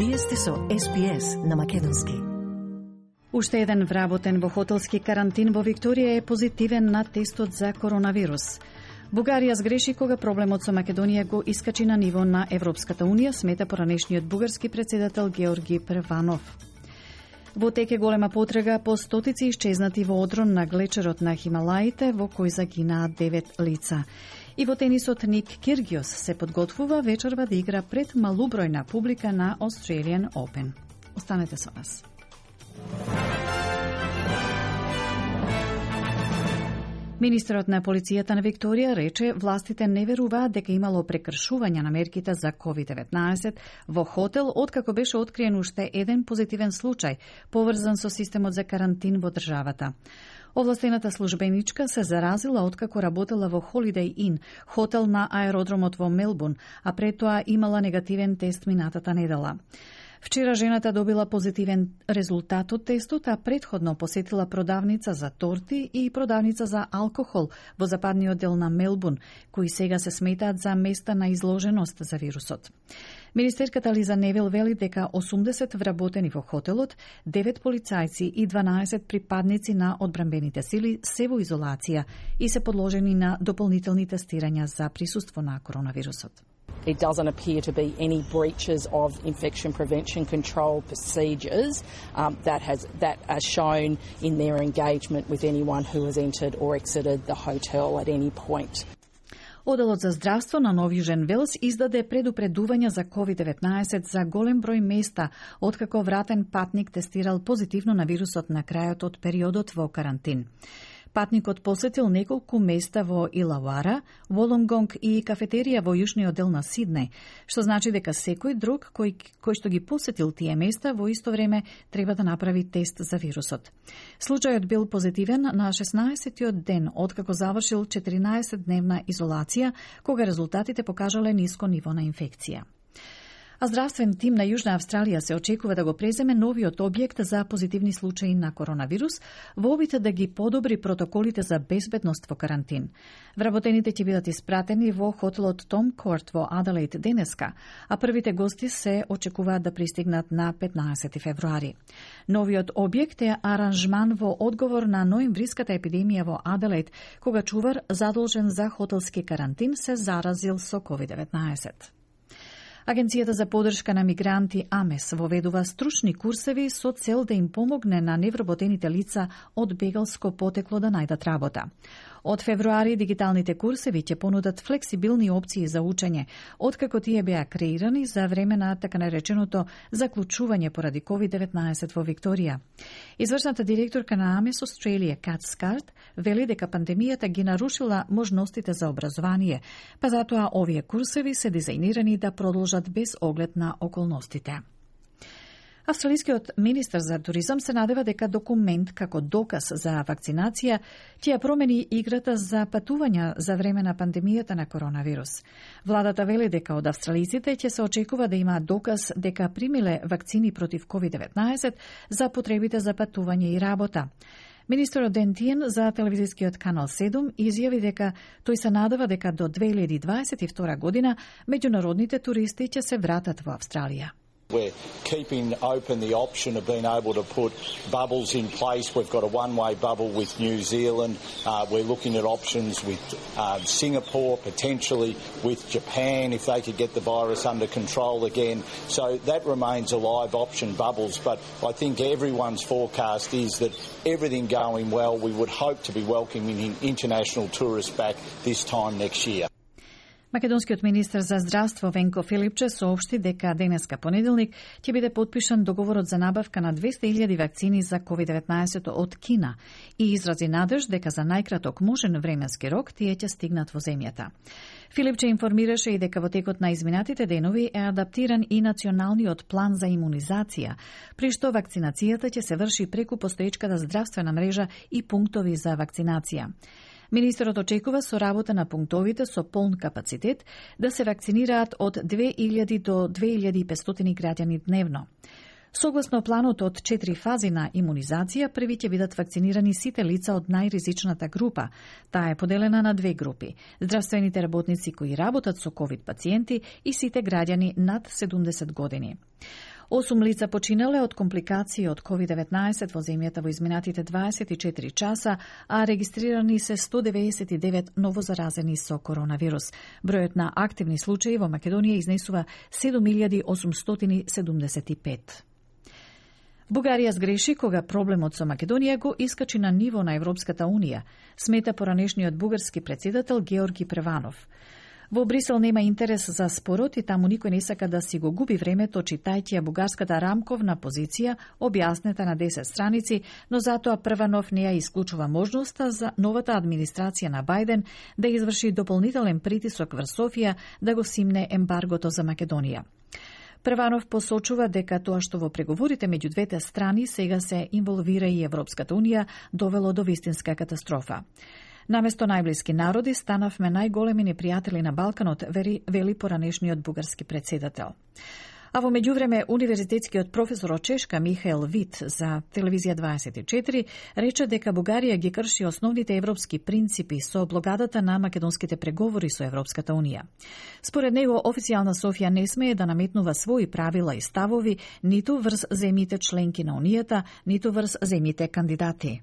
Вие сте со SPS на македонски. Уште еден вработен во хотелски карантин во Викторија е позитивен на тестот за коронавирус. Бугарија сгреши кога проблемот со Македонија го искачи на ниво на Европската Унија, смета поранешниот бугарски председател Георги Прванов. Во тек е голема потрага по стотици исчезнати во одрон на глечерот на Хималаите, во кој загинаа 9 лица. И во тенисот Ник Киргиос се подготвува вечерва да игра пред малубројна публика на Australian Open. Останете со нас. Министерот на полицијата на Викторија рече властите не веруваат дека имало прекршување на мерките за COVID-19 во хотел, откако беше откриен уште еден позитивен случај, поврзан со системот за карантин во државата. Овластената службеничка се заразила откако работела во Holiday Inn, хотел на аеродромот во Мелбурн, а пред тоа имала негативен тест минатата недела. Вчера жената добила позитивен резултат од тестот, а предходно посетила продавница за торти и продавница за алкохол во западниот дел на Мелбурн, кои сега се сметаат за места на изложеност за вирусот. Министерката Лиза Невил вели дека 80 вработени во хотелот, 9 полицајци и 12 припадници на одбранбените сили се во изолација и се подложени на дополнителни тестирања за присуство на коронавирусот. It doesn't appear to be any breaches of infection prevention control procedures that are shown in their engagement with anyone who has entered or exited the hotel at any point. Оделот за здравство на Нов Јужен Велс издаде предупредување за COVID-19 за голем број места, откако вратен патник тестирал позитивно на вирусот на крајот од периодот во карантин. Патникот посетил неколку места во Илауара, Волонгонг и кафетерија во јужниот дел на Сиднеј, што значи дека секој друг кој што ги посетил тие места во исто време треба да направи тест за вирусот. Случајот бил позитивен на 16-тиот ден откако завршил 14-дневна изолација, кога резултатите покажале ниско ниво на инфекција. А здравствен тим на Јужна Австралија се очекува да го преземе новиот објект за позитивни случаи на коронавирус во обид да ги подобри протоколите за безбедност во карантин. Вработените ќе бидат испратени во хотелот Том Корт во Аделаид денеска, а првите гости се очекуваат да пристигнат на 15 февруари. Новиот објект е аранжман во одговор на ноемвриската епидемија во Аделаид, кога чувар задолжен за хотелски карантин се заразил со COVID-19. Агенцијата за поддршка на мигранти АМЕС воведува стручни курсеви со цел да им помогне на невработените лица од бегалско потекло да најдат работа. Од февруари дигиталните курсеви ќе понудат флексибилни опции за учење, откако тие беа креирани за време на така нареченото заклучување поради COVID-19 во Викторија. Извршната директорка на АМЕС Australia, Кат Скарт, вели дека пандемијата ги нарушила можностите за образование, па затоа овие курсеви се дизајнирани да продолжат без оглед на околностите. Австралискиот министер за туризам се надева дека документ како доказ за вакцинација ќе ја промени играта за патувања за време на пандемијата на коронавирус. Владата вели дека од австралиците ќе се очекува да има доказ дека примиле вакцини против COVID-19 за потребите за патување и работа. Министерот Ден Тиен за телевизискиот канал 7 изјави дека тој се надева дека до 2022 година меѓународните туристи ќе се вратат во Австралија. We're keeping open the option of being able to put bubbles in place. We've got a one-way bubble with New Zealand. We're looking at options with Singapore, potentially with Japan if they could get the virus under control again. So that remains a live option, bubbles. But I think everyone's forecast is that everything going well, we would hope to be welcoming international tourists back this time next year. Македонскиот министер за здравство Венко Филипче соопшти дека денеска понеделник ќе биде подпишан договорот за набавка на 200.000 вакцини за COVID-19 од Кина и изрази надеж дека за најкраток можен временски рок тие ќе стигнат во земјата. Филипче информираше и дека во текот на изминатите денови е адаптиран и националниот план за имунизација, при што вакцинацијата ќе се врши преку постоечката здравствена мрежа и пунктови за вакцинација. Министерот очекува со работа на пунктовите со полн капацитет да се вакцинираат од 2000 до 2500 граѓани дневно. Согласно планот од 4 фази на имунизација, први ќе бидат вакцинирани сите лица од најризичната група. Таа е поделена на 2 групи: здравствените работници кои работат со ковид пациенти и сите граѓани над 70 години. 8 лица починале од компликации од COVID-19 во земјата во изминатите 24 часа, а регистрирани се 199 новозаразени со коронавирус. Бројот на активни случаи во Македонија изнесува 7875. Бугарија сгреши кога проблемот со Македонија го искачи на ниво на Европската Унија, смета поранешниот бугарски председател Георги Преванов. Во Брисел нема интерес за спорот и таму никој не сака да си го губи времето читајќи ја бугарската рамковна позиција, објаснета на 10 страници, но затоа Прванов не ја исклучува можноста за новата администрација на Бајден да изврши дополнителен притисок врз Софија да го симне ембаргото за Македонија. Прванов посочува дека тоа што во преговорите меѓу двете страни сега се инволвира и Европската Унија довело до вистинска катастрофа. Наместо најблиски народи станавме најголеми непријатели на Балканот, вели поранешниот бугарски председател. А во меѓувреме, универзитетскиот професор од Чешка Михаел Вит за Телевизија 24 рече дека Бугарија ги крши основните европски принципи со блокадата на македонските преговори со Европската Унија. Според него, официјална Софија не смее да наметнува своји правила и ставови ниту врз земјите членки на Унијата, ниту врз земјите кандидати.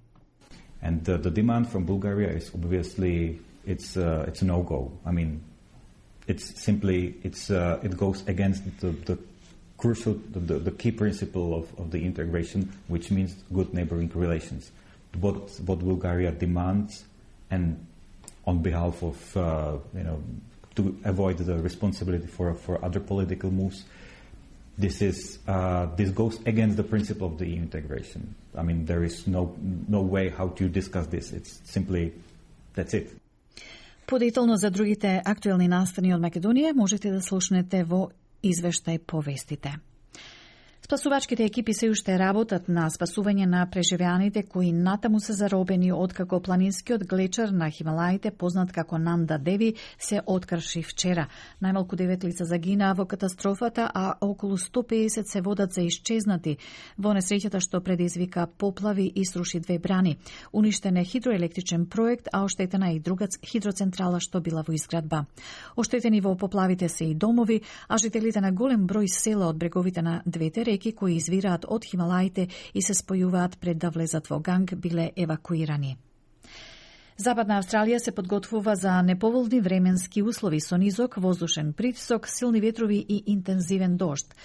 And the demand from Bulgaria is obviously it's a no-go. I mean, it goes against the crucial, the key principle of the integration, which means good neighboring relations. What Bulgaria demands, and on behalf of to avoid the responsibility for other political moves, this goes against the principle of the EU integration. I mean, there is no way how to discuss this. It's simply, that's it. Подетално за другите актуелни настани од Македонија можете да слушнете во извештај по вестите. Спасувачките екипи се уште работат на спасување на преживеаните кои натаму се заробени откако планинскиот глечер на Хималаите, познат како Нанда Деви, се открши вчера. Најмалку 9 лица загинаа во катастрофата, а околу 150 се водат за исчезнати во несреќата што предизвика поплави и сруши 2 брани. Уништен е хидроелектричен проект, а оштетена и друга хидроцентрала што била во изградба. Оштетени во поплавите се и домови, а жителите на голем број села од бреговите на двете реки кои извираат од Хималаите и се спојуваат пред да влезат во Ганг, биле евакуирани. Западна Австралија се подготвува за неповолни временски услови со низок воздушен притисок, силни ветрови и интензивен дожд.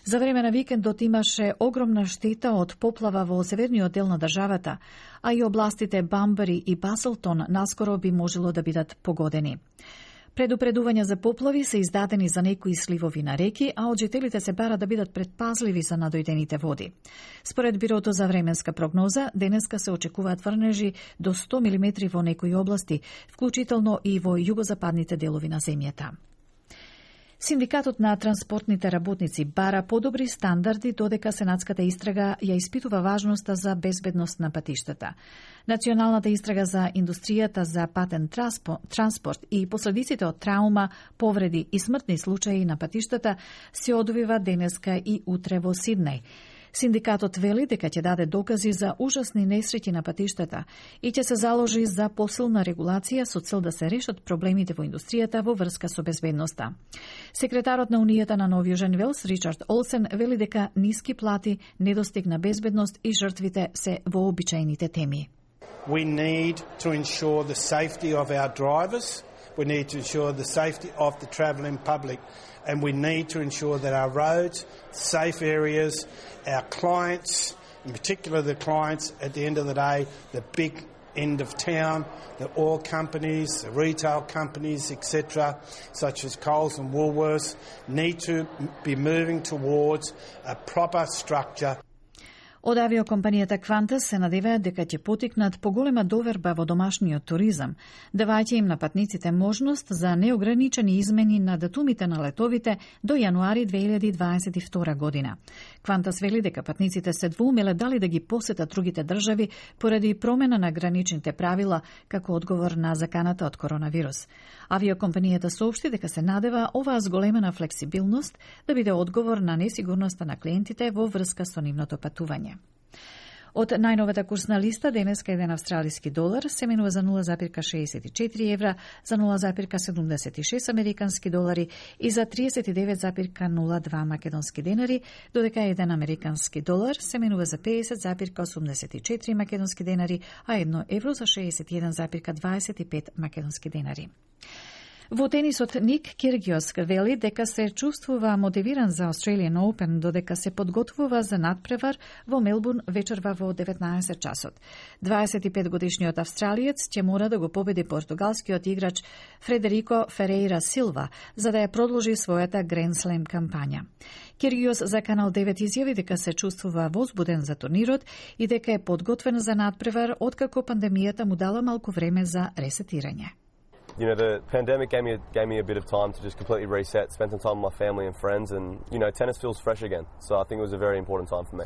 За време на викендот имаше огромна штета од поплава во северниот дел на државата, а и областите Бамбари и Баселтон наскоро би можело да бидат погодени. Предупредувања за поплави се издадени за некои сливови на реки, а од жителите се бара да бидат предпазливи за надојдените води. Според Бирото за временска прогноза, денеска се очекуваат врнежи до 100 мм во некои области, вклучително и во југозападните делови на земјата. Синдикатот на транспортните работници бара подобри стандарди додека сенатската истрага ја испитува важноста за безбедност на патиштата. Националната истрага за индустријата за патен транспорт и последиците од траума, повреди и смртни случаи на патиштата се одвива денеска и утре во Сиднеј. Синдикатот вели дека ќе даде докази за ужасни несреќи на патиштата и ќе се заложи за посилна регулација со цел да се решат проблемите во индустријата во врска со безбедноста. Секретарот на Унијата на Нов Јужен Велс, Ричард Олсен, вели дека ниски плати, недостиг на безбедност и жртвите се вообичаените теми. We need to ensure the safety of our drivers. We need to ensure the safety of the travelling public. And we need to ensure that our roads, safe areas, our clients, in particular the clients at the end of the day, the big end of town, the oil companies, the retail companies, etc., such as Coles and Woolworths, need to be moving towards a proper structure. Од авиокомпанијата Qantas се надеваат дека ќе потикнат поголема доверба во домашниот туризам, давајќи им на патниците можност за неограничени измени на датумите на летовите до јануари 2022 година. Qantas вели дека патниците се двоумеле дали да ги посетат другите држави поради промена на граничните правила како одговор на заканата од коронавирус. Авиокомпанијата соопшти дека се надева оваа зголемена флексибилност да биде одговор на несигурноста на клиентите во врска со нивното патување. Од најновата курсна листа, денеска еден австралиски долар се менува за 0,64 евра, за 0,76 американски долари и за 39,02 македонски денари, додека еден американски долар се менува за 50,84 македонски денари, а 1 евро за 61,25 македонски денари. Во тенисот Ник Киргиос вели дека се чувствува мотивиран за Australian Open, додека се подготвува за надпревар во Мелбурн вечерва во 19 часот. 25-годишниот австралиец ќе мора да го победи португалскиот играч Фредерико Ферейра Силва за да ја продолжи својата Grand Slam кампања. Киргиос за Канал 9 изјави дека се чувствува возбуден за турнирот и дека е подготвен за надпревар откако пандемијата му дала малку време за ресетирање. You know, the pandemic gave me a bit of time to just completely reset, spend some time with my family and friends, and, you know, tennis feels fresh again. So I think it was a very important time for me.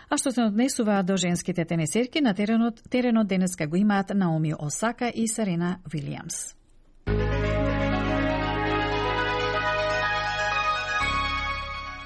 А што се однесува до женските тенисерки, на теренот денеска го имаат Наоми Осака и Серена Вилијамс.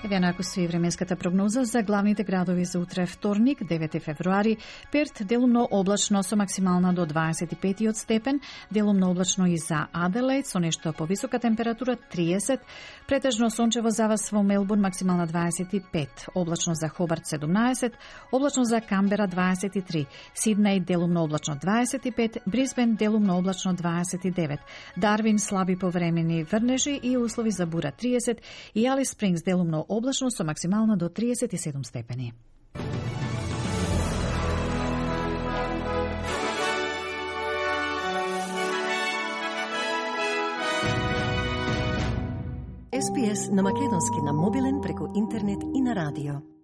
Еве наку стои временската прогноза за главните градови за утре вторник, 9 февруари. Перт делумно облачно со максимална до 25 степен, делумно облачно и за Аделаид со нешто повисока температура 30, претежно сончево за вас во Мелбурн максимална 25, облачно за Хобарт 17, облачно за Камбера 23, Сиднеј делумно облачно 25, Брисбен делумно облачно 29, Дарвин слаби повремени врнежи и услови за бура 30 и Алис Спрингс делумно облачно со максимална до 37 степени. SPS на македонски на мобилен преку интернет и на радио.